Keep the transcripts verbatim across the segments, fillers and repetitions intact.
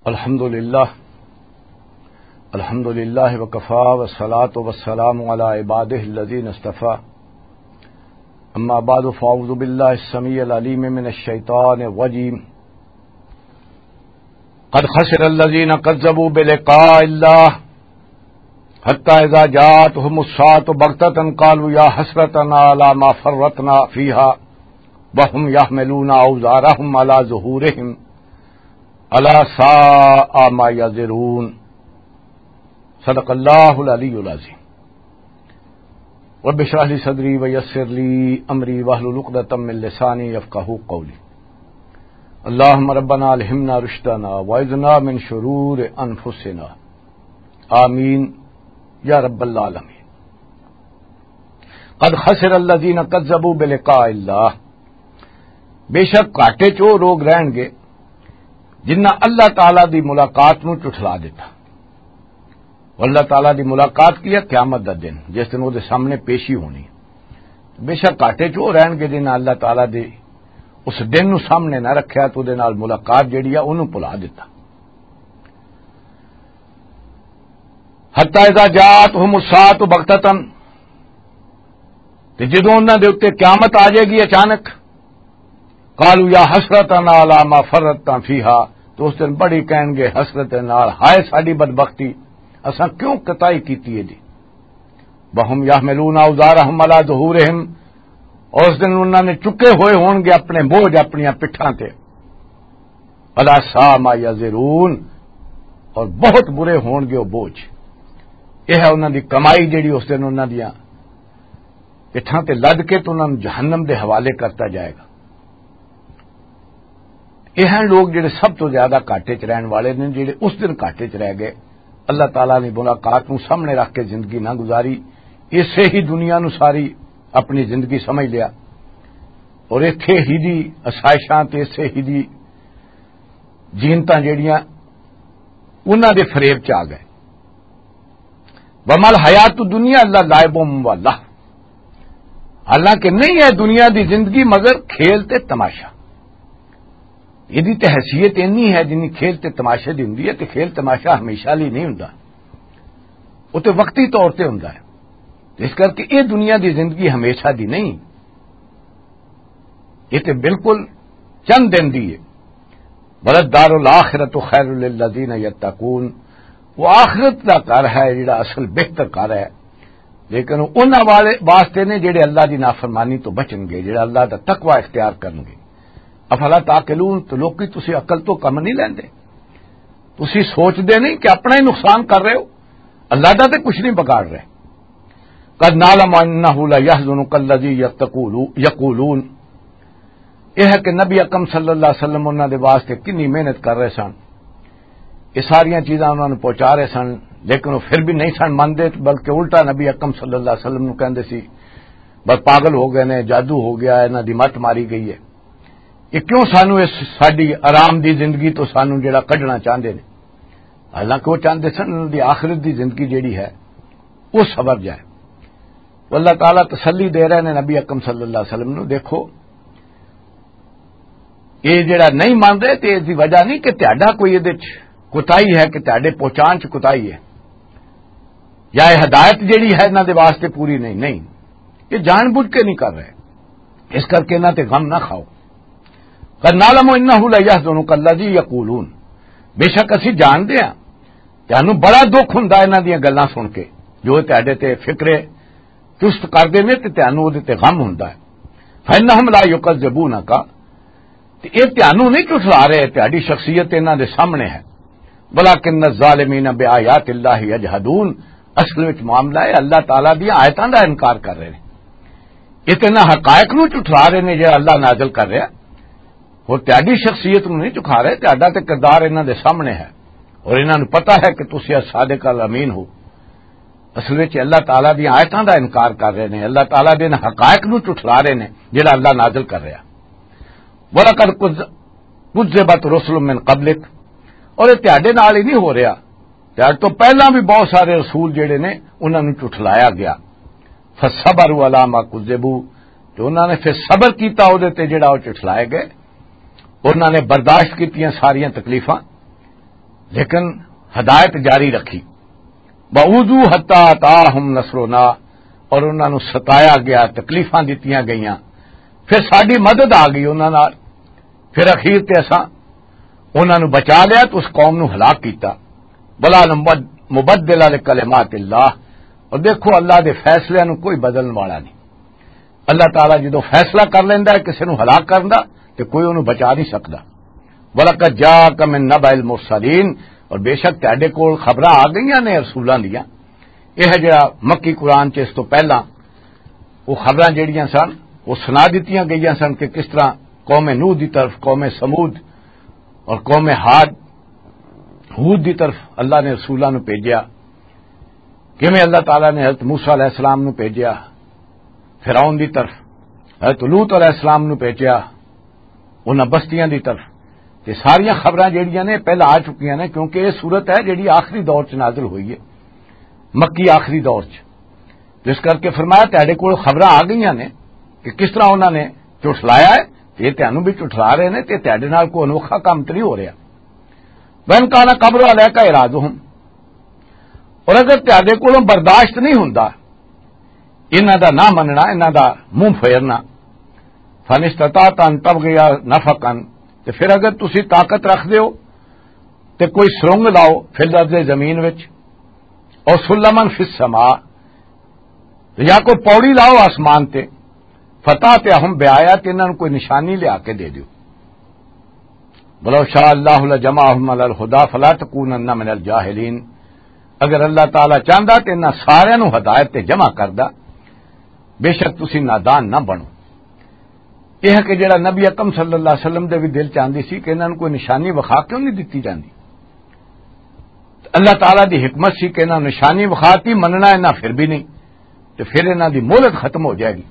الحمد لله. الحمد لله وكفى، والصلاة والسلام على عباده الذين اصطفى. أما بعد، فأعوذ بالله السميع العليم من الشيطان الرجيم. قد خسر الذين كذبوا بلقاء الله، حتى إذا جاءتهم الساعة بغتة قالوا يا حسرتنا على ما فرطنا فيها وهم يحملون أوزارهم على ظهورهم، ألا ساء ما يزرون. صدق الله العلي العظيم. رب اشرح لي صدري ويسر لي أمري واحلل عقدة من لساني يفقهوا قولي. اللهم ربنا ألهمنا رشدنا وأعذنا من شرور أنفسنا. آمين يا رب العالمين. قد خسر الذين كذبوا بلقاء الله. بے شک گھاٹے چ وہ لوگ رہن گے جنہاں اللہ تعالیٰ دی ملاقات نو جھٹلا دیتا۔ اور اللہ تعالیٰ دی ملاقات کی ہے؟ قیامت دا دن، جس دن وہ دے سامنے پیشی ہونی۔ بے شک گھاٹے چ وہ رہن گے جنہاں اللہ تعالیٰ دے اس دن نو سامنے نہ رکھیا تو دے نال ملاقات جڑی ہے انہوں بھلا دیتا۔ حتی اذا جاءتهم الساعة بغتة، تے جدوں انہاں دے اُتے قیامت آ جائے گی اچانک، قالوا يا حسرتنا على ما فرطنا فيها، تو اس دن بڑی کہن گے حسرت نال، ہائے ساڈی بدبختی، اساں کیوں کوتاہی کیتی ہے جی۔ وهم يحملون أوزارهم على ظهورهم، اور اس دن انہاں نے چکے ہوئے ہون گے اپنے بوجھ اپنیاں پٹھاں تے۔ ألا ساء ما يزرون، اور بہت برے ہون گے وہ بوجھ۔ یہ ہے انہاں دی کمائی جڑی اس دن انہاں دیاں پٹھاں تے لد کے تو انہاں نوں جہنم دے حوالے کرتا جائے گا۔ یہ ہیں لوگ جڑے سب تو زیادہ گھاٹے چ رہن والے نے، جڑے اس دن گھاٹے چ رہ گئے، اللہ تعالیٰ نے ملاقات نوں سامنے رکھ کے زندگی نہ گزاری، اسے ہی دنیا نوں ساری اپنی زندگی سمجھ لیا، اور ایتھے ہی دی آسائشاں تے اسے ہی دی جینتاں جڑیاں انہاں دے فریب چ آ گئے۔ وما الحیات الدنیا الا لعب و لہو، حالانکہ نہیں ہے دنیا دی زندگی مگر کھیل تے تماشا۔ یہ دی تے حیثیت اینی ہے جنی کھیل تے تماشے دی ہوندی ہے، تے کھیل تماشا ہمیشہ لئی نہیں ہوندا، وہ تے وقتی طور تے ہوندا ہے۔ اس کر کے یہ دنیا دی زندگی ہمیشہ دی نہیں، یہ تے بالکل چند دن دی ہے۔ ولدار الآخرۃ خیر للذین یتقون، وہ آخرت دا گھر ہے جڑا اصل بہتر گھر ہے، لیکن انہاں والے واسطے نے جڑے اللہ دی نافرمانی تو بچن گے، جڑا اللہ دا تقوی اختیار کرن گے۔ افلا تعقلون، تو لوکی تسی عقل تو کم نہیں لیندے؟ تسی سوچدے نہیں کہ اپنا ہی نقصان کر رہے ہو، اللہ دا تے کچھ نہیں بگاڑ رہے۔ قد نعلم انہ لیحزنک الذی یقولون، یہ ہے کہ نبی اکرم صلی اللہ علیہ وسلم انہاں دے واسطے کنی محنت کر رہے سن، یہ ساریاں چیزاں انہاں نوں پہنچا رہے سن، لیکن وہ پھر بھی نہیں سن مندے، بلکہ الٹا نبی اکرم صلی اللہ علیہ وسلم نوں کہندے سی، بس پاگل ہو گئے نے، جادو ہو گیا ہے، انہاں دی مت ماری گئی ہے، یہ کیوں سانوں اس ساڈی آرام دی زندگی تو سانوں جڑا کڈنا چاہندے نے؟ حالانکہ وہ چاہندے سن انہاں دی آخرت دی زندگی جڑی ہے وہ سبر جائے۔ تو اللہ تعالیٰ تسلی دے رہے نے نبی اکرم صلی اللہ علیہ وسلم نو، دیکھو، یہ جڑا نہیں مان رہے تے اس دی وجہ نہیں کہ تہاڈا کوئی یہ کوتاہی ہے، کہ تہاڈے پہچان چ کوتاہی ہے، یا یہ ہدایت جڑی ہے انہاں دے واسطے پوری نہیں، نہیں، یہ جان بوجھ کے نہیں کر رہے، اس کر کے انہاں تے غم نہ کھاؤ۔ قد نعلم انہ لیحزنک الذی یقولون، بے شک اسی جانتے ہیں تانوں بڑا دکھ ہوندا انہاں دیاں گلاں سن کے، جو تہاڈے تے فکر چست کردے نے تے تانوں اودے تے غم ہوندا ہے۔ فانہم لا یکذبونک، تے اے تانوں نہیں جھٹلا رہے، تہاڈی شخصیت انہاں دے سامنے ہے۔ ولکن الظالمین بآیات اللہ یجحدون، اصل وچ معاملہ ہے اللہ تعالیٰ دی آیتاں دا انکار کر رہے نے۔ یہ تے انہاں حقائق نوں جھٹلا رہے نے جڑا اللہ نازل کر رہا۔ اور تہاڈی شخصیت نوں نہیں جھٹلا رہے، تہاڈا تے کردار انہاں دے سامنے ہے اور انہاں نوں پتہ ہے کہ تسی صادق الامین ہو۔ اصل وچ اللہ تعالیٰ دی آیتاں دا انکار کر رہے نے، اللہ تعالیٰ دے انہاں حقائق نوں جھٹلا رہے نے جڑا اللہ نازل کر رہا۔ وَلَقَدْ كُذِّبَتْ رُسُلٌ مِّن قَبْلِكَ، اور یہ تہاڈے نال ہی نہیں ہو رہا، تہاڈے تو پہلاں بھی بہت سارے رسول جڑے نے انہاں نوں جھٹلایا گیا۔ فَصَبَرُوا عَلَىٰ مَا كُذِّبُوا، جو انہاں نے پھر صبر کیتا اودے تے جڑا وہ جھٹلائے گئے، انہاں نے برداشت کیتیاں ساریاں تکلیفاں۔ لیکن ہدایت جاری رکھی۔ وَأُوذُوا حَتَّىٰ أَتَاهُمْ نَصْرُنَا، اور انہاں نوں ستایا گیا، تکلیفاں دتیاں گئیاں، پھر ساڈی مدد آ گئی انہاں نال، پھر اخیر تے اساں انہاں نوں بچا لیا تے اس قوم نوں ہلاک کیتا۔ وَلَا مُبَدِّلَ لِكَلِمَاتِ اللَّهِ، اور دیکھو، اللہ دے فیصلے نوں کوئی بدلن والا نہیں۔ اللہ تعالیٰ جدوں فیصلہ کر لیندا ہے کسے نوں ہلاک کرن دا، تے کوئی اونوں بچا نہیں سکدا۔ وَلَقَدْ جَاءَكَ مِن نَّبَإِ الْمُرْسَلِينَ، اور بے شک تہاڈے کول خبراں آ گئیاں نے رسولاں دیاں۔ یہ ہے جڑا مکی قرآن چ اس تو پہلا وہ خبراں جڑیاں سن، وہ سنا دتیاں گئیاں سن کہ کس طرح قوم نوح دی طرف، قوم سمود اور قوم عاد، ہود دی طرف اللہ نے رسولاں نوں بھیجیا، کیویں اللہ تعالیٰ نے حضرت موسیٰ علیہ السلام نوں بھیجیا فرعون دی طرف، حضرت لوط علیہ السلام نوں بھیجیا انہاں بستیاں دی طرف۔ تے ساریاں خبراں جڑیاں نے پہلا آ چکیاں نے، کیونکہ یہ صورت ہے جڑی آخری دور چ نازل ہوئی ہے، مکی آخری دور چ۔ جس کر کے فرمایا، تہاڈے کول خبراں آ گئیاں نے کہ کس طرح انہاں نے جھٹلایا ہے، تے تہانوں بھی جھٹلا رہے نے، تے تہاڈے نال کوئی انوکھا کام تے نہیں ہو رہا۔ وَإِنْ كَانَ كَبُرَ عَلَيْكَ إِعْرَاضُهُمْ، اور اگر تہاڈے کولوں برداشت نہیں ہوندا انہاں دا نہ مننا، انہاں دا منہ پھیرنا، فَإِنِ اسْتَطَعْتَ أَنْ تَبْغِيَ نَفَقًا، تے پھر اگر تسی طاقت رکھ دیو تے کوئی سرنگ لاؤ فی الارض، زمین وچ، اور سلمن فی السماء، یا کوئی پوڑی لاؤ آسمان تے، فَتَأْتِيَهُمْ بِآيَةٍ، انہاں نوں کوئی نشانی لیا کے دے دیو۔ وَلَوْ شَاءَ اللَّهُ لَجَمَعَهُمْ عَلَى الْهُدَى فَلَا تَكُونَنَّ مِنَ الْجَاهِلِينَ، اگر اللہ تعالیٰ چاہندا تے انہاں ساریاں نوں ہدایت تے جمع کردا، بے شک تسی نادان نہ بنو۔ یہ ہے کہ جڑا نبی اکرم صلی اللہ علیہ وسلم دے بھی دل چاہندی سی کہ انہاں نوں کوئی نشانی وکھا کیوں نہیں دتی جاندی۔ اللہ تعالیٰ دی حکمت سی کہ انہاں نوں نشانی وکھاتی، مننا انہاں پھر بھی نہیں، تے پھر انہاں دی مہلت ختم ہو جائے گی،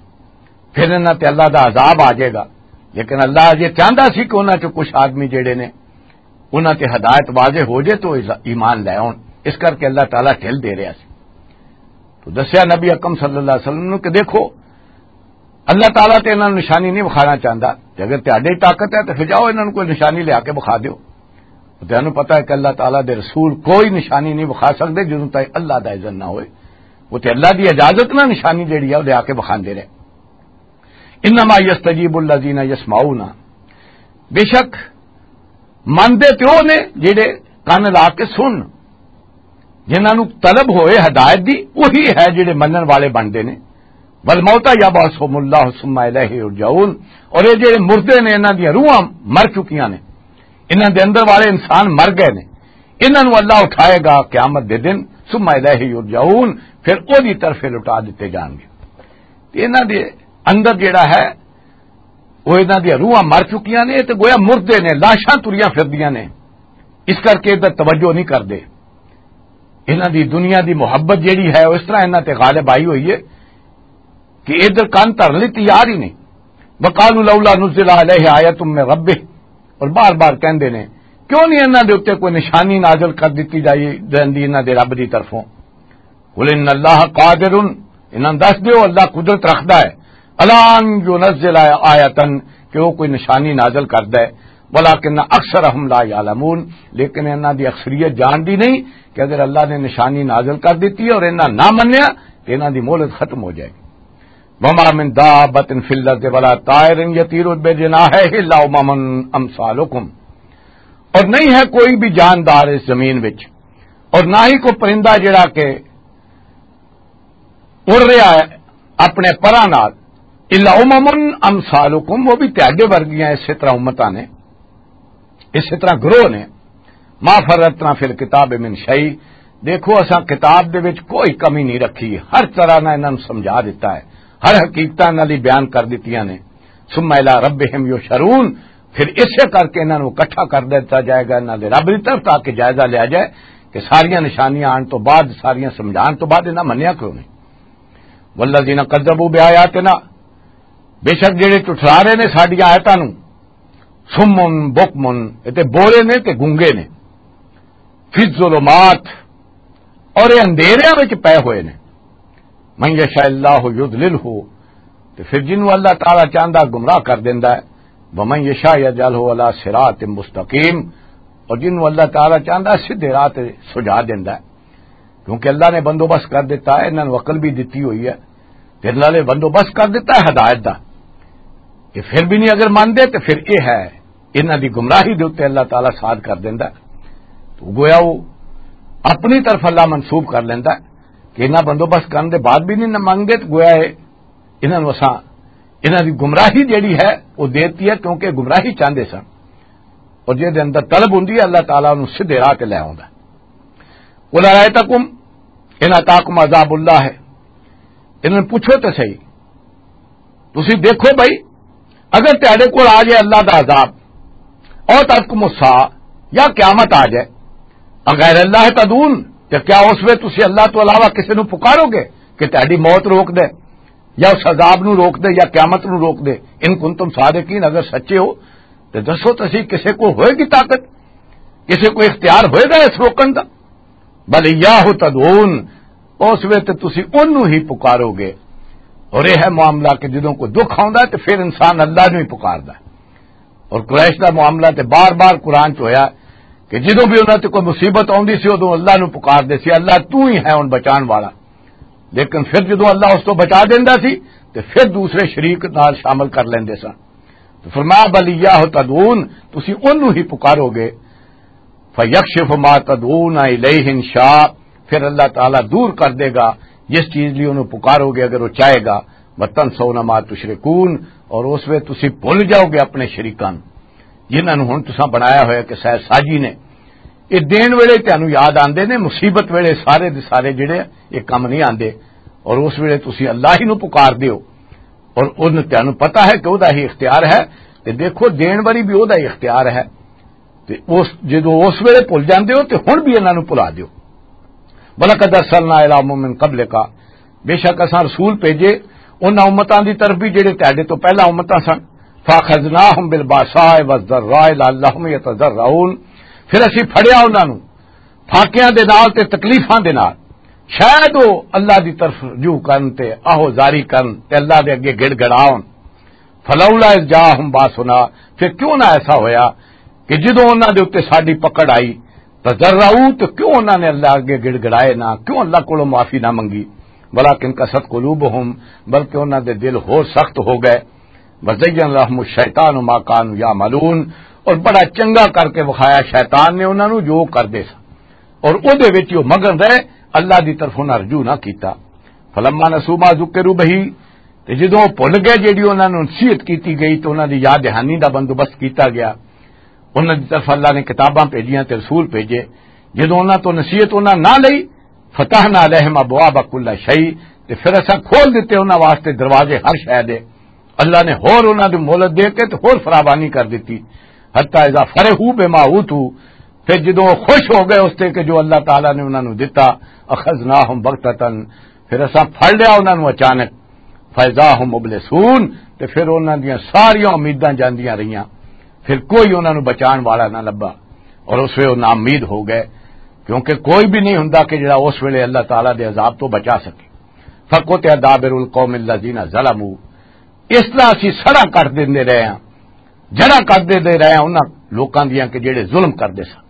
پھر انہاں تے اللہ دا عذاب آ جائے گا۔ لیکن اللہ اجے چاہندا سی کہ انہاں چوں کچھ آدمی جڑے نے، انہاں تے ہدایت واضح ہو جائے تو ایمان لے آؤن۔ اس کر کے اللہ تعالیٰ ڈھل دے رہا سی۔ تو دسیا نبی اکرم صلی اللہ علیہ وسلم نوں کہ دیکھو، اللہ تعالیٰ تے انہاں نوں نشانی نہیں وکھانا چاہندا۔ تے اگر تہاڈے طاقت ہے تے پھر جاؤ، انہاں نوں کوئی نشانی لیا کے وکھا دیو۔ تے تانوں پتہ ہے کہ اللہ تعالیٰ دے رسول کوئی نشانی نہیں وکھا سکدے جدوں تائیں اللہ دا اذن نہ ہوئے۔ وہ تے اللہ دی اجازت نہ نشانی جڑی ہے، وہ لیا کے وکھاندے رہے۔ انما یستجیب الذین یسمعون، بے شک مندے تے او نے جڑے کن لا کے سن، جنہاں نوں طلب ہوئے ہدایت دی، وہی ہے جڑے منن والے بندے نے۔ والموتى يبعثهم الله ثم إليه يرجعون، اور یہ جڑے مردے نے، انہاں دی روحاں مر چکیاں نے، انہاں دے اندر والے انسان مر گئے نے، انہاں نوں اللہ اٹھائے گا قیامت دے دن، ثم إليه يرجعون، پھر او دی طرف لٹا دتے جان گے۔ تے انہاں دے اندر جڑا ہے، وہ انہاں دی روحاں مر چکیاں نے، تے گویا مردے نے، لاشاں تریاں پھردیاں نے، اس کر کے ادھر توجہ نہیں کردے۔ انہاں دی دنیا دی محبت جڑی ہے، وہ اس طرح انہاں تے غالب آئی ہوئی ہے کہ ادھر کان دھرن لئی تیار ہی نہیں۔ وقالوا لولا نزل عليه آية من ربه، اور بار بار کہندے نے، کیوں نہیں انہاں دے اوتے کوئی نشانی نازل کر دتی جائی، جاندی انہاں دے رب دی طرفوں؟ قل ان اللہ قادر، انہاں دس دیو، اللہ قدرت رکھدا ہے، الا ان ينزل آیتن، کہ وہ کوئی نشانی نازل کردا ہے، ولکن اکثرهم لا يعلمون، لیکن انہاں دی اکثریت جاندی نہیں کہ اگر اللہ نے نشانی نازل کر دیتی ہے اور انہاں نہ منیا تو انہاں دی مہلت ختم ہو جائے گی۔ وما من دابة في الارض ولا طائر يطير بجناحيه الا امم امثالكم، اور نہیں ہے کوئی بھی جاندار اس زمین وچ، اور نہ ہی کوئی پرندہ جڑا کہ اڑ رہا ہے اپنے پراں نال، الا امم امثالکم، وہ بھی تہاڈے ورگیاں اسی طرح امتاں نے، اسی طرح گروہ نے۔ ما فرطنا فی الکتاب من شیء، دیکھو اساں کتاب دے وچ کوئی کمی نہیں رکھی، ہر طرح نہ انہاں نوں سمجھا دتا ہے، ہر حقیقتاں انہاں لئی بیان کر دتیاں نے۔ ثم الی ربہم یحشرون، پھر اسے کر کے انہاں نوں اکٹھا کر دتا جائے گا انہاں دے رب دی طرف، تاکہ جائزہ لیا جائے کہ ساریاں نشانیاں آن تو بعد، ساریاں سمجھان تو بعد انہاں منیا کیوں نہیں؟ والذین کذبوا بآیاتنا، بے شک جڑے ٹھٹھلا رہے نے ساڈیاں آیتاں نوں، صم بکم، اے تے بولے نے تے گونگے نے، فی الظلمات، اور یہ اندھیریاں وچ پے ہوئے نے۔ من یشاء اللہ یضللہ، تے پھر جنوں اللہ تعالیٰ چاہندا گمراہ کر دیندا ہے۔ ومن یشاء یجعلہ علی صراط مستقیم، اور جنوں اللہ تعالیٰ چاہندا سیدھے راہ تے سجا دیندا ہے، کیونکہ اللہ نے بندوبست کر دیتا ہے، انہاں نوں عقل بھی دتی ہوئی ہے، تے اللہ نے بندوبست کر دیتا ہے ہدایت دا، کہ پھر بھی نہیں اگر مندے تے پھر یہ ہے، انہاں دی گمراہی دے اُتے اللہ تعالیٰ ساتھ کر دیندا ہے۔ تو گویا وہ اپنی طرف اللہ منسوب کر لیندا ہے کہ انہاں بندوبست کرن دے بعد بھی نہیں نہ منگے، تو گویا ہے انہاں نوں اساں، انہاں دی گمراہی جیڑی ہے، وہ دیتی ہے، کیونکہ گمراہی چاہندے سن۔ اور جے دے اندر طلب ہوندی ہے، اللہ تعالیٰ انہوں سیدھے راہ تے لے آوندا ہے۔ "قل ارائیتکم ان اتاکم عذاب اللہ" ہے، انہوں نے پوچھو تے صحیح، تسی دیکھو بھائی، اگر تہاڈے کول آ جائے اللہ دا عذاب، او تاتکم الساعہ، یا قیامت آ جائے، اغیر اللہ تدعون، تے کیا اس ویلے تسی اللہ تو علاوہ کسے نوں پکارو گے کہ تہاڈی موت روک دے، یا اس عذاب نوں روک دے، یا قیامت نوں روک دے؟ ان کنتم صادقین، اگر سچے ہو تے دسو، تسی کسے کو ہوئے گی طاقت، کسے کو اختیار ہوئے گا اس روکن دا؟ بل ایاہ تدعون، اس ویلے تے تسی اونوں ہی پکارو گے۔ اور یہ ہے معاملہ کہ جدوں کوئی دکھ آوندا ہے تے پھر انسان اللہ نوں ہی پکاردا ہے۔ اور قریش دا معاملہ تے بار بار قرآن چ ہویا کہ جدوں بھی انہاں تے کوئی مصیبت آوندی سی، ادوں اللہ نوں پکاردے سی، "اللہ تو ہی ہے ہن بچان والا۔" لیکن پھر جدوں اللہ اس تو بچا دیندا سی تے پھر دوسرے شریک نال شامل کر لیندے سن۔ تو فرمایا، "بل ایاہ تدعون"، تسی اونوں ہی پکارو گے۔ فَيَكْشِفُ مَا تَدْعُونَ إِلَيْهِ إِنْ شَاءَ، پھر اللہ تعالیٰ دور کر دے گا جس چیز لئی انہوں پکارو گے اگر وہ چاہے گا۔ وَتَنْسَوْنَ مَا تُشْرِكُونَ، اور اس ویلے تسی بھول جاؤ گے اپنے شریکاں نوں، جنہاں نوں ہن تساں بنایا ہویا کہ سہ ساجی نے۔ یہ دین ویلے تانوں یاد آندے نے، مصیبت ویلے سارے دے سارے جڑے یہ کم نہیں آندے، اور اس ویلے تسی اللہ ہی نوں پکار دیو، اور ان تانوں پتہ ہے کہ وہ دا ہی اختیار ہے۔ تے دیکھو، دین والی بھی وہ دا ہی اختیار ہے۔ تے اس، جدوں اس ویلے بھول جاندے ہو تے ہن بھی انہاں نوں بھلا دیو۔ وَلَقَدْ أَرْسَلْنَا إِلَىٰ أُمَمٍ مِّن قَبْلِكَ، بے شک اساں رسول بھیجے انہاں امتاں دی طرف بھی جڑے تہاڈے تو پہلا امتاں سن۔ فَأَخَذْنَاهُم بِالْبَأْسَاءِ وَالضَّرَّاءِ لَعَلَّهُمْ يَتَضَرَّعُونَ، پھر اسی پھڑیا انہاں نوں فاقیاں دے نال تے تکلیفاں دے نال، شاید وہ اللہ دی طرف رجوع کرن تے آہو زاری کرن تے اللہ دے اگے گڑ گڑاون۔ فلولا اذ جاءہم باسنا، پھر کیوں نہ ایسا ہویا کہ جدوں انہاں دے اُتے ساڈی پکڑ آئی، تضرعوا، تو کیوں انہاں نے اللہ اگے گڑ گڑائے نہ، کیوں اللہ کولوں معافی نہ منگی؟ ولکن قست قلوبہم، بلکہ انہاں دے دل ہور سخت ہو گئے۔ وزین لہم الشیطان ما کانوا یعملون، اور بڑا چنگا کر کے وکھایا شیطان نے انہاں نوں جو کردے سن، اور اودے وچ وہ مگن رہے، اللہ دی طرفوں نہ رجوع نہ کیتا۔ فلما نسوا ما ذکروا بہ، تے جدوں وہ بھل گئے جیڑی انہاں نوں نصیحت کیتی گئی تے انہاں دی یاد دہانی دا بندوبست کیتا گیا، انہاں دی طرف اللہ نے کتاباں بھیجیاں تے رسول بھیجے، جدوں انہاں تو نصیحت انہاں نہ لئی، فتحنا علیہم ابواب کل شیء، تے پھر اساں کھول دتے انہاں واسطے دروازے ہر شے دے۔ اللہ نے ہور انہاں دی مہلت دے کے تے ہور فراوانی کر دتی۔ حتی اذا فرحوا بما اوتوا، پھر جدوں وہ خوش ہو گئے اس تے کہ جو اللہ تعالیٰ نے انہاں نوں دتا، اخذناہم بغتۃ، پھر اساں پھڑ لیا انہاں نوں اچانک، فاذا ہم مبلسون، تے پھر انہاں دیاں ساریاں امیداں جاندیاں رہیاں، پھر کوئی انہاں نوں بچان والا نہ لبا۔ اور اس ویلے وہ ناامید ہو گئے، کیونکہ کوئی بھی نہیں ہوندا کہ جڑا اس ویلے اللہ تعالیٰ دے عذاب تو بچا سکے۔ فقطع دابر القوم الذین ظلموا، اس طرح اسی سڑا کٹ دیندے رہے ہاں، جڑا کٹ دیندے رہے ہاں انہاں لوکاں دیاں کہ جڑے ظلم کردے سن،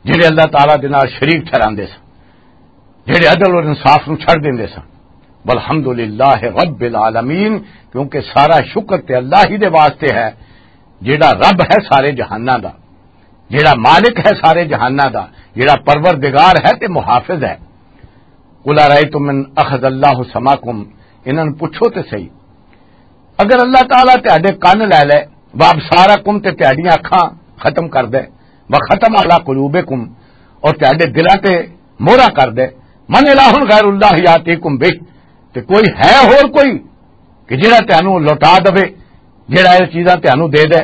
جڑے اللہ تعالیٰ دے نال شریک ٹھہراندے سن، جڑے عدل اور انصاف نوں چھڈ دیندے سن۔ والحمد للہ رب العالمین، کیونکہ سارا شکر تے اللہ ہی دے واسطے ہے، جڑا رب ہے سارے جہاناں دا، جڑا مالک ہے سارے جہاناں دا، جڑا پروردگار ہے تے محافظ ہے۔ قل ارائیتم ان اخذ اللہ سمعکم، انہاں نوں پوچھو تے صحیح، اگر اللہ تعالیٰ تہاڈے کن لے لے، وابصارکم، تے تہاڈیاں اکھاں ختم کر دے، وختم علی قلوبکم، اور تہاڈے دلاں تے مہراں کر دے، من الہ غیر اللہ یاتیکم بہ، تے کوئی ہے ہور کوئی کہ جڑا تہانوں لوٹا دے، جڑا یہ چیزاں تہانوں دے دے؟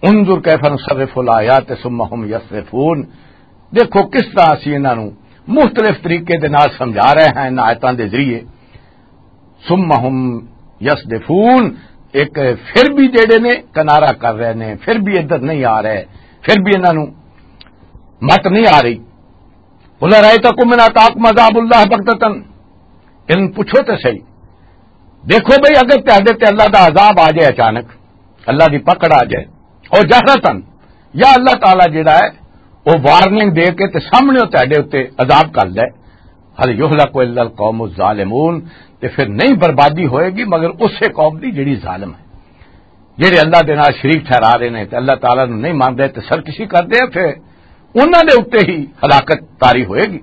انظر کیف نصرف الآیات ثم هم یصدفون، دیکھو کس طرح اسی انہاں نوں مختلف طریقے دے نال سمجھا رہے ہیں انہاں آیتاں دے ذریعے۔ ثم هم یصدفون، ایک پھر بھی جڑے نے کنارہ کر رہے نے، پھر بھی ادھر نہیں آ رہے، پھر بھی انہاں نوں مت نہیں آ رہی۔ قل ارائیتکم ان اتاکم عذاب اللہ بغتۃ، ان پوچھو تے صحیح، دیکھو بھئی اگر تہاڈے تے اللہ دا عذاب آ جائے اچانک، اللہ دی پکڑ آ جائے، اور جہرتن، یا اللہ تعالیٰ جڑا ہے وہ وارننگ دے کے تے سامنے تہاڈے اُتے عذاب کر دے۔ هل يهلك إلا القوم الظالمون، تے پھر نہیں بربادی ہوئے گی مگر اسے قوم دی جڑی ظالم ہے، جڑے اللہ دے نال شریک ٹھہرا رہے نے تے اللہ تعالیٰ نوں نہیں مانتے تے سرکشی کردے ہیں، پھر انہاں دے اُتے ہی ہلاکت طاری ہوئے گی۔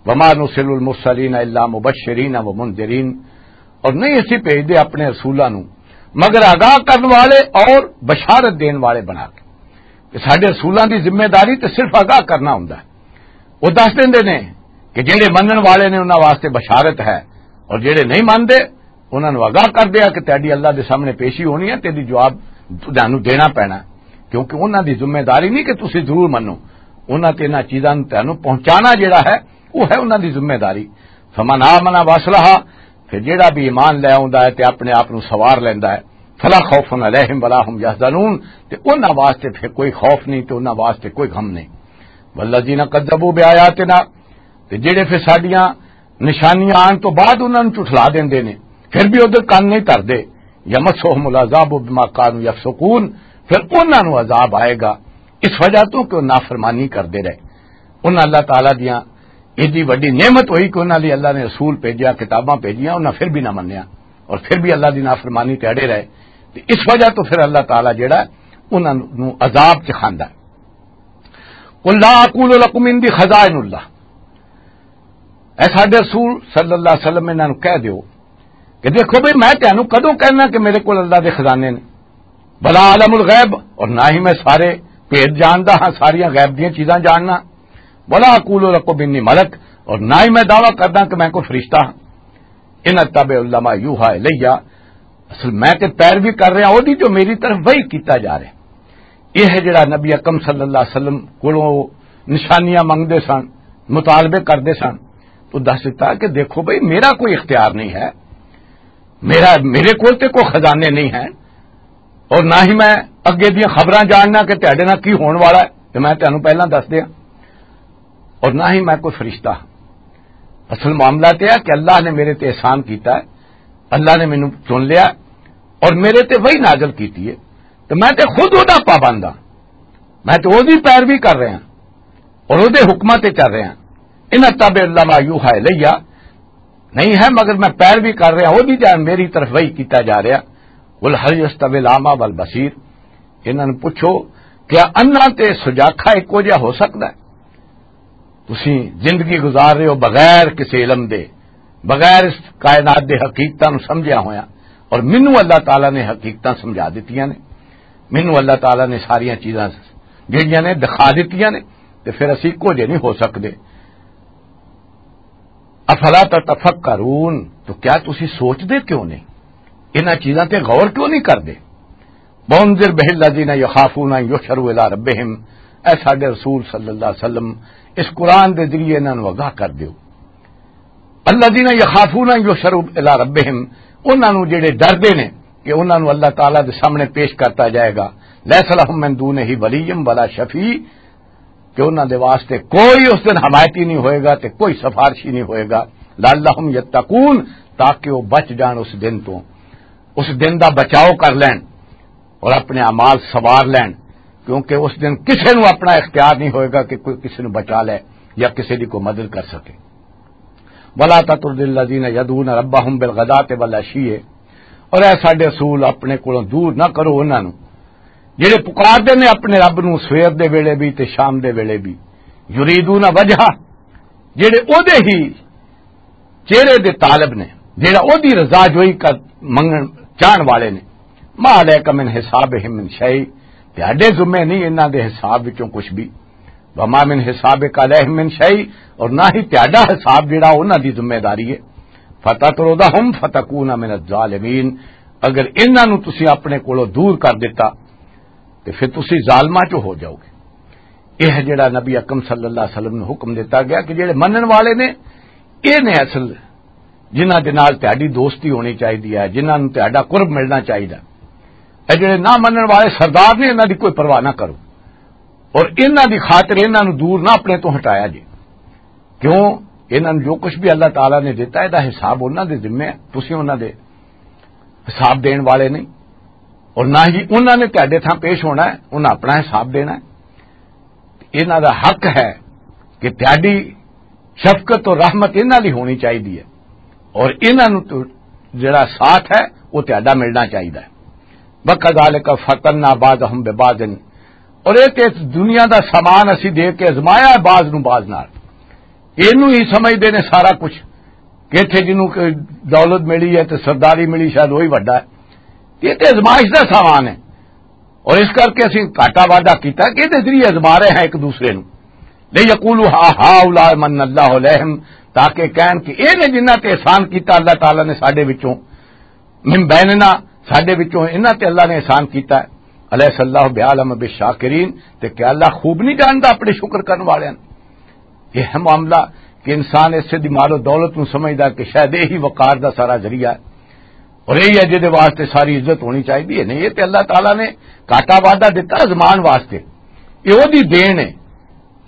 وما نرسل المرسلين إلا مبشرين ومنذرين، اور نہیں اسی بھیجدے اپنے رسولاں نوں مگر آگاہ کرن والے اور بشارت دین والے بنا کے۔ کہ ساڈے رسولاں دی ذمہ داری تے صرف آگاہ کرنا ہوندا ہے۔ وہ دس دیندے نے کہ جڑے منن والے نے انہاں واسطے بشارت ہے، اور جڑے نہیں منتے انہاں نوں آگاہ کر دیا کہ تیری اللہ دے سامنے پیشی ہونی ہے، تیری جواب تانوں دینا پینا ہے۔ کیونکہ انہاں دی ذمہ داری نہیں کہ تسی ضرور منو، انہاں تے انہاں چیزاں نوں تانوں پہنچانا جڑا ہے، وہ ہے انہاں دی ذمہ داری۔ فمن آمن واصلح، پھر جڑا بھی ایمان لے آوندا ہے تے اپنے آپ نوں سوار لیندا ہے، فلا خوف علیہم ولا هم يحزنون، تے انہاں واسطے پھر کوئی خوف نہیں تے انہاں واسطے کوئی غم نہیں۔ والذین کذبوا بآیاتنا، تے جڑے پھر ساڈیاں نشانیاں آن تو بعد انہاں نوں جھٹلا دیندے نے، پھر بھی ادھر کن نہیں دھردے، یمسہم العذاب بما کانوا یفسقون، پھر انہاں نوں عذاب آئے گا اس وجہ تو کہ وہ نافرمانی کردے رہے۔ انہاں اللہ تعالیٰ دیاں ایڈی وڈی نعمت ہوئی کہ انہاں لئی اللہ نے رسول بھیجیا، کتاباں بھیجیاں، انہاں پھر بھی نہ منیا اور پھر بھی اللہ دی نافرمانی تے اڑے رہے۔ تے اس وجہ تو پھر اللہ تعالیٰ جڑا ہے، انہاں نوں عذاب چ کھاندا ہے۔ قل لا اقول لکم عندی خزائن اللہ، اے ساڈے رسول صلی اللہ علیہ وسلم، انہاں نوں کہہ دیو کہ دیکھو بھئی، میں تانوں کدوں کہنا کہ میرے کول اللہ دے خزانے نے؟ ولا عالم الغیب، اور نہ ہی میں سارے بھید جاندا ہاں، ساریاں غیب دیاں چیزاں جاننا۔ ولا اقول لکم انی ملک، اور نہ ہی میں دعویٰ کردا کہ میں کوئی فرشتہ ہاں۔ ان اتبع الا ما یوحی الیہ، اصل میں تے پیروی کر رہا اودی جو میری طرف وحی کیتا جا رہا۔ یہ ہے جڑا نبی اکرم صلی اللہ علیہ وسلم کولوں نشانیاں منگدے سن، مطالبے کردے سن، تو دس دیتا کہ دیکھو بھئی، میرا کوئی اختیار نہیں ہے، میرا، میرے کول تے کوئی خزانے نہیں ہیں، اور نہ ہی میں اگے دیاں خبراں جاننا کہ تہاڈے نال کی ہون والا ہے، تے میں تانوں پہلاں دس دیاں، اور نہ ہی میں کوئی فرشتہ ہاں۔ اصل معاملہ تے ہے کہ اللہ نے میرے تے احسان کیتا ہے، اللہ نے مینوں چن لیا اور میرے تے وحی نازل کیتی ہے، تے میں تے خود اودا پابند ہاں، میں تے اوہدی پیروی کر رہا ہاں اور اوہدے حکماں تے چل رہا ہاں۔ ان اتبع الا ما یوحی الیہ، نہیں ہے مگر میں پیروی کر رہا اوہدی جان میری طرف وحی کیتا جا رہا۔ قل هل يستوي الاعمى والبصير، انہاں نوں پوچھو، کیا اندھا تے سجاکھا اکو جہا ہو سکدا ہے؟ تسی زندگی گزار رہے ہو بغیر کسی علم دے، بغیر اس کائنات دے حقیقتاں نوں سمجھیا ہویا، اور مینوں اللہ تعالیٰ نے حقیقتاں سمجھا دتیاں نے، مینوں اللہ تعالیٰ نے ساریاں چیزاں جڑیاں نے دکھا دتیاں نے، تے پھر اسی اکو جہے نہیں ہو سکدے۔ افلا تتفکرون، تو کیا تسی سوچدے کیوں نہیں؟ انہاں چیزاں تے غور کیوں نہیں کردے؟ وانذر به الذین یخافون ان یحشروا الی ربہم، اے ساڈے رسول صلی اللہ علیہ وسلم، اس قرآن دے ذریعے انہاں نوں آگاہ کر دیو۔ الذین یخافون ان یحشروا الی ربہم، انہاں نوں جڑے ڈردے نے کہ انہاں نوں اللہ تعالیٰ دے سامنے پیش کرتا جائے گا۔ لیس لہم من دونہ ولی ولا شفیع، کہ انہاں دے واسطے کوئی اس دن حمایتی نہیں ہوئے گا تے کوئی سفارشی نہیں ہوئے گا۔ لعلہم یتقون، تاکہ وہ بچ جان اس دن تو، اس دن دا بچاؤ کر لین اور اپنے اعمال سوار لین، کیونکہ اس دن کسے نوں اپنا اختیار نہیں ہوئے گا کہ کوئی کسے نوں بچا لے یا کسے دی کوئی مدد کر سکے۔ ولا تطرد الذین یدعون ربہم بالغداۃ والعشی، اور اے ساڈے رسول، اپنے کولوں دور نہ کرو انہاں نوں جڑے پکار دے نے اپنے رب نوں سویر دے ویلے بھی تے شام دے ویلے بھی، یریدون وجہہ، جڑے او دے ہی چہرے دے طالب نے، جڑا او دی رضا جوئی کر منگن چاہن والے نے۔ ما علیک من حسابہم من شیء، تہاڈے ذمے نہیں انہاں دے حساب وچوں کچھ بھی۔ وما من حسابک علیہم من شیء، اور نہ ہی تہاڈا حساب جڑا انہاں دی ذمہ داری ہے۔ فتطردہم فتکون من الظالمین، اگر انہاں نوں تسی اپنے کولوں دور کر دتا تے پھر تسی ظالماں چوں ہو جاؤ گے۔ یہ جڑا نبی اکرم صلی اللہ علیہ وسلم نوں حکم دتا گیا کہ جڑے منن والے نے، یہ نے اصل جنہاں دے نال تہاڈی دوستی ہونی چاہیے ہے، جنہاں نوں تہاڈا قرب ملنا چاہیے۔ اے جڑے نہ منن والے سردار نے، انہاں دی کوئی پرواہ نہ کرو، اور انہاں دی خاطر انہاں نوں دور نہ اپنے تو ہٹایا جے۔ کیوں؟ انہاں نوں جو کچھ بھی اللہ تعالیٰ نے دتا ہے، دا حساب انہاں دے ذمے ہے، تسی انہاں دے حساب دین والے نہیں، اور نہ ہی انہاں نے تہاڈے تھاں پیش ہونا ہے، انہاں اپنا حساب دینا ہے۔ انہاں دا حق ہے کہ تہاڈی شفقت اور رحمت انہاں دی ہونی چاہیدی ہے، اور انہاں نوں تو جڑا ساتھ ہے، وہ تہاڈا ملنا چاہیدا ہے۔ وَكَذَلِكَ فَتَنَّا بَعْضَهُمْ بِبَعْضٍ، اور یہ تے دنیا دا سامان اسی دے کے ازمایا ہے بعض نوں بعض نال۔ اینوں ہی سمجھدے نے سارا کچھ، کہ اتھے جنوں کہ دولت ملی ہے تے سرداری ملی، شاید وہی وڈا ہے۔ یہ تے ازمائش دا سامان ہے، اور اس کر کے اسی گھاٹا وعدہ کیتا کہ یہ تے ذریعے ازما رہے ہیں ایک دوسرے نوں۔ لِيَقُولُوا هَٰؤُلَاءِ مَنَّ اللَّهُ عَلَيْهِمْ، تاکہ کہن کہ یہ نے جنہاں تے احسان کیتا اللہ تعالیٰ نے ساڈے وچوں، من بیننا، ساڈے وچوں انہاں تے اللہ نے احسان کیتا ہے۔ الیس اللہ بعالم بالشاکرین، تے کیا اللہ خوب نہیں جاندا اپنے شکر کرن والے ہیں؟ یہ ہے معاملہ کہ انسان اس دی مال و دولت نوں سمجھدا کہ شاید یہی وقار دا سارا ذریعہ ہے، اور یہی ہے جہدے واسطے ساری عزت ہونی چاہیے۔ نہیں، یہ تے اللہ تعالیٰ نے گھاٹا وعدہ دتا زمان واسطے، یہ وہدی دین ہے،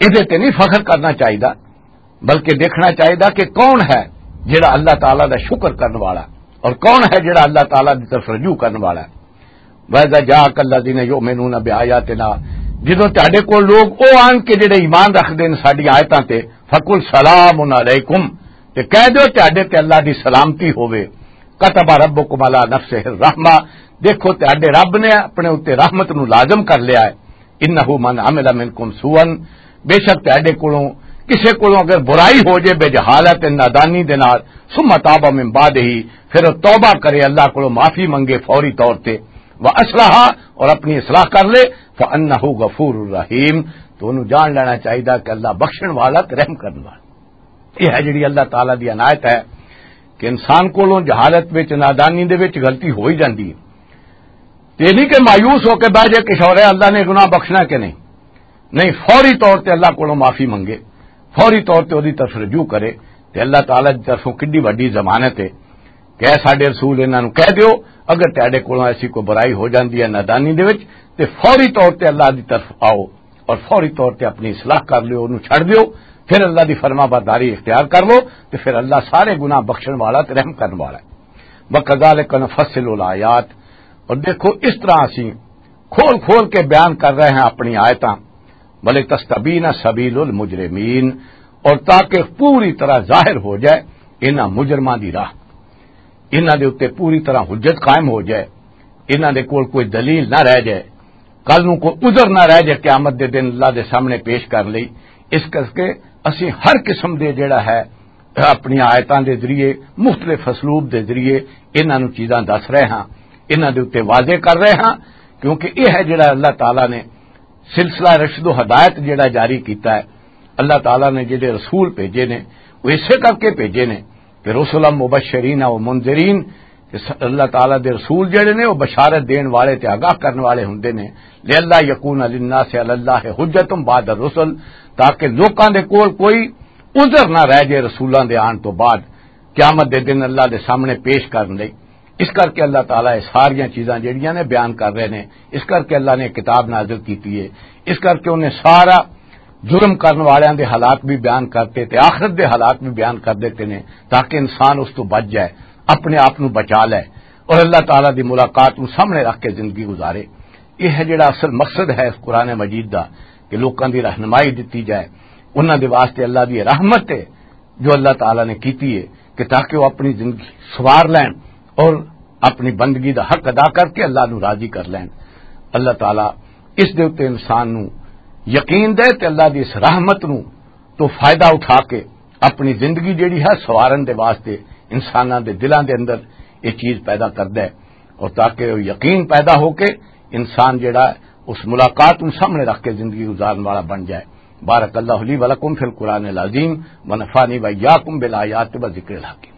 یہ تے نہیں فخر کرنا چاہیے، بلکہ دیکھنا چاہیے کہ کون ہے جڑا اللہ تعالیٰ دا شکر کرن والا، اور کون ہے جڑا اللہ تعالیٰ دی طرف رجوع کرن والا ہے۔ وَإِذَا جَاءَكَ الَّذِينَ يُؤْمِنُونَ بِآيَاتِنَا، جدوں تہاڈے کول لوگ او آن کے جڑے ایمان رکھدے نے ساڈی آیتاں تے، فَقُلْ سَلَامٌ عَلَيْكُمْ، تے کہہ دیو تہاڈے تے اللہ دی سلامتی ہووے۔ كَتَبَ رَبُّكُمْ عَلَىٰ نَفْسِهِ الرَّحْمَةَ، دیکھو تہاڈے رب نے اپنے اُتے رحمت نوں لازم کر لیا ہے۔ إِنَّهُ مَنْ عَمِلَ مِنْكُمْ سُوءًا، بے شک تہاڈے کولوں، کسے کولوں اگر برائی ہو جائے بجہالت، نادانی دے نال، ثُمَّ تَابَ مِنْ بَعْدِهِ، پھر وہ توبہ کرے، اللہ کولوں معافی منگے فوری طور تے، وَأَصْلَحَ، اور اپنی اصلاح کر لے، فَإِنَّهُ غَفُورٌ رَحِيمٌ، تو انہوں جان لینا چاہیدا کہ اللہ بخشن والا تے رحم کرن والا۔ یہ ہے جڑی اللہ تعالیٰ دی عنایت ہے کہ انسان کولوں جہالت وچ، نادانی دے وچ غلطی ہو ہی جاندی ہے۔ تے نہیں کہ مایوس ہو کے بہ جائے کہ شور ہے، اللہ نے گناہ بخشنا کہ نہیں۔ نہیں، فوری طور تے اللہ کولوں معافی منگے، فوری طور تے اودی طرف رجوع کرے، تے اللہ تعالیٰ دی طرفوں کڈی وڈی ضمانت ہے کہ اے ساڈے رسول، انہاں نوں کہہ دیو، اگر تہاڈے کولوں ایسی کوئی برائی ہو جاندی ہے نادانی دے وچ، تے فوری طور تے اللہ دی طرف آؤ اور فوری طور تے اپنی اصلاح کر لیو، انہوں چھڑ دیو، پھر اللہ دی فرما برداری اختیار کر لو، تے پھر اللہ سارے گناہ بخشن والا تے رحم کرن والا ہے۔ وَكَذَٰلِكَ نُفَصِّلُ الْآيَاتِ، اور دیکھو، اس طرح اسی کھول کھول کے بیان کر رہے ہیں اپنی آیتاں، وَلِتَسْتَبِينَ سَبِيلُ الْمُجْرِمِينَ، اور تاکہ پوری طرح ظاہر ہو جائے انہاں مجرماں دی راہ، انہاں دے اُتے پوری طرح حجت قائم ہو جائے، انہاں دے کول کوئی دلیل نہ رہ جائے، کل نوں کوئی عذر نہ رہ جائے قیامت دے دن اللہ دے سامنے پیش کر لئی۔ اس کر کے اسی ہر قسم دے جڑا ہے اپنی آیتاں دے ذریعے، مختلف اسلوب دے ذریعے انہاں نوں چیزاں دس رہے ہاں، انہاں دے اُتے واضح کر رہے ہاں، کیونکہ یہ ہے جڑا اللہ تعالیٰ نے سلسلہ رشد و ہدایت جڑا جاری کیتا ہے۔ اللہ تعالیٰ نے جڑے رسول بھیجے نے، وہ اسے کر کے بھیجے نے کہ رسلا مبشرین و منذرین، کہ س-، اللہ تعالیٰ دے رسول جڑے نے، وہ بشارت دین والے تے آگاہ کرن والے ہوندے نے۔ لئلا یکون للناس علی اللہ حجت بعد الرسل، تاکہ لوکاں دے کول کوئی عذر نہ رہ جائے رسولاں دے آن تو بعد، قیامت دے دن اللہ دے سامنے پیش کرن لئی۔ اس کر کے اللہ تعالیٰ یہ ساریاں چیزاں جڑیاں نے بیان کر رہے نے، اس کر کے اللہ نے کتاب نازل کیتی ہے، اس کر کے انہیں سارا جرم کرن والیاں دے حالات بھی بیان کرتے تے آخرت دے حالات بھی بیان کر دیتے نے، تاکہ انسان اس تو بچ جائے، اپنے آپ نو بچا لے اور اللہ تعالیٰ دی ملاقات نو سامنے رکھ کے زندگی گزارے۔ یہ ہے جڑا اصل مقصد ہے اس قرآن مجید دا، کہ لوکاں دی رہنمائی دتی جائے، انہاں دے واسطے اللہ دی رحمت ہے جو اللہ تعالیٰ نے کیتی ہے، کہ تاکہ وہ اپنی زندگی سوار لین اور اپنی بندگی دا حق ادا کر کے اللہ نو راضی کر لین۔ اللہ تعالیٰ اس دے اُتے انسان نو یقین دے تے اللہ دی اس رحمت نو تو فائدہ اٹھا کے اپنی زندگی جڑی ہے سوارن دے واسطے انساناں دے دلاں دے اندر یہ چیز پیدا کردا ہے، اور تاکہ وہ یقین پیدا ہو کے انسان جڑا ہے اس ملاقات نو سامنے رکھ کے زندگی گزارن والا بن جائے۔ بارک اللہ لی ولکم فی القرآن العظیم، ونفعنی وإیاکم بالآیات و ذکر الحکیم۔